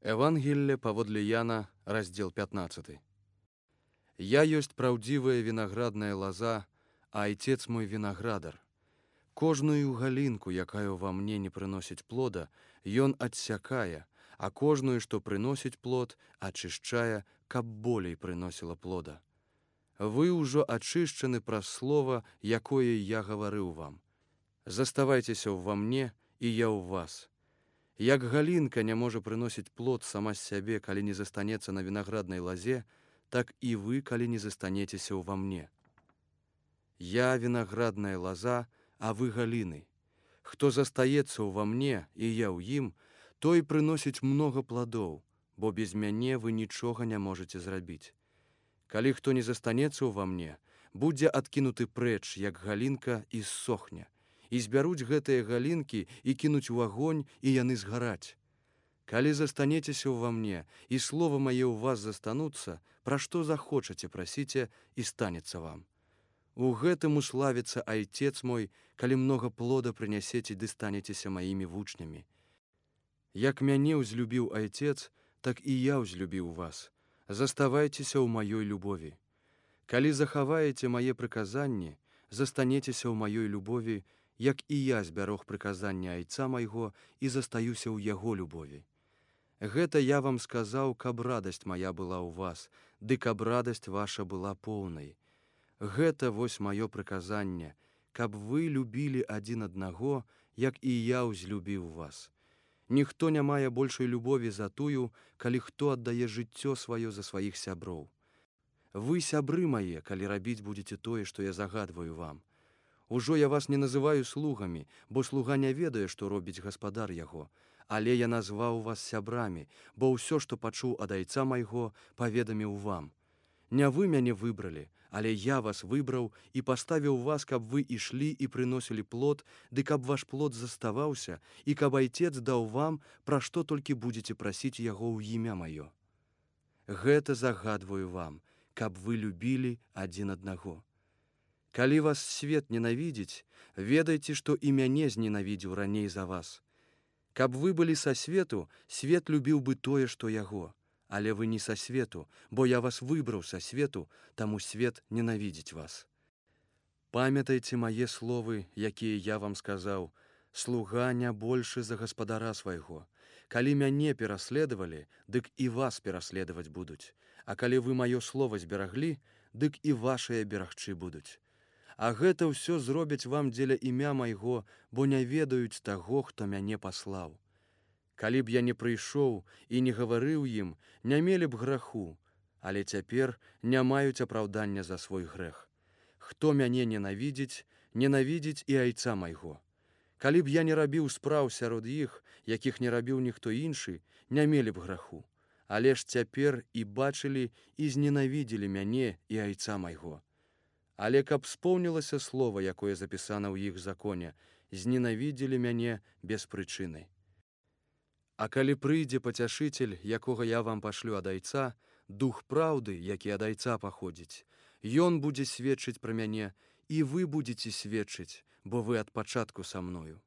Евангелле паводле Яна, раздзел 15. Я ёсць праўдзівая вінаградная лаза, а айцец мой вінаградар. Кожную галінку, якая ва мне не прыносіць плода, ён адсякае, а кожную, што прыносіць плод, ачышчае, каб болей прыносіла плода. Вы ўжо ачышчаны праз слова, якое я гаварыў вам. Заставайцеся ўва мне, і я ў вас. Як галінка не можа прыносіць плод сама з сябе, калі не застанецца на вінаграднай лазе, так і вы, калі не застанецеся ўва мне. Я вінаградная лаза, а вы галіны. Хто застаецца ўва мне, і я ў ім, той прыносіць многа пладоў, бо без мяне вы нічога не можаце зрабіць. Калі хто не застанецца ўва мне, будзе адкінуты прэч, як галінка, і ссохне. І збяруць гэтыя галінкі і кінуць у агонь, і яны згараць. Калі застанецеся ўва мне, і слова мае ў вас застануцца, пра што захочаце, прасіце, і станецца вам. У гэтым уславіцца айцец мой, калі многа плода прынясеце, ды станецеся маімі вучнямі. Як мяне ўзлюбіў айцец, так і я ўзлюбіў вас. Заставайцеся ў маёй любові. Калі захаваеце мае прыказанні, застанецеся ў маёй любові, як і я збярог прыказання айца майго і застаюся ў яго любові. Гэта я вам сказаў, каб радасць мая была ў вас, ды каб радасць ваша была поўнай. Гэта вось маё прыказанне, каб вы любілі адзін аднаго, як і я ўзлюбіў вас. Ніхто не мае большай любові за тую, калі хто аддае жыццё сваё за сваіх сяброў. Вы сябры мае, калі рабіць будзеце тое, што я загадваю вам. Ужо я вас не называю слугамі, бо слуга не ведае, што робіць гаспадар яго, але я назваў вас сябрамі, бо ўсё, што пачуў ад айца майго, паведаміў вам. Не вы мяне выбралі, але я вас выбраў і паставіў вас, каб вы ішлі і прыносілі плод, ды каб ваш плод заставаўся, і каб айцец даў вам, пра што толькі будзеце прасіць яго ў імя маё. Гэта загадваю вам, каб вы любілі адзін аднаго. Калі вас свет ненавідзіць, ведайце, што і мяне зненавідзеў раней за вас. Каб вы былі са свету, свет любіў бы тое, што яго. Але вы не са свету, бо я вас выбраў са свету, таму свет ненавідзіць вас. Памятайце мае словы, якія я вам сказаў, слуга не большы за гаспадара свайго. Калі мяне пераследавалі, дык і вас пераследаваць будуць. А калі вы маё слова збераглі, дык і вашыя берагчы будуць. А гэта ўсё зробяць вам дзеля імя майго, бо не ведаюць таго, хто мяне паслаў. Калі б я не прыйшоў і не гаварыў ім, не мелі б граху, але цяпер не маюць апраўдання за свой грэх. Хто мяне ненавідзіць, ненавідзіць і айца майго. Калі б я не рабіў спраў сярод іх, якіх не рабіў ніхто іншы, не мелі б граху. Але ж цяпер і бачылі, і зненавідзелі мяне і айца майго. Але каб споўнілася слова, якое запісана ў іх законе, зненавідзелі мяне без прычыны. А калі прыйдзе пацяшыцель, якога я вам пашлю ад айца, дух праўды, які ад айца паходзіць, ён будзе сведчыць пра мяне, і вы будзеце сведчыць, бо вы ад пачатку са мною.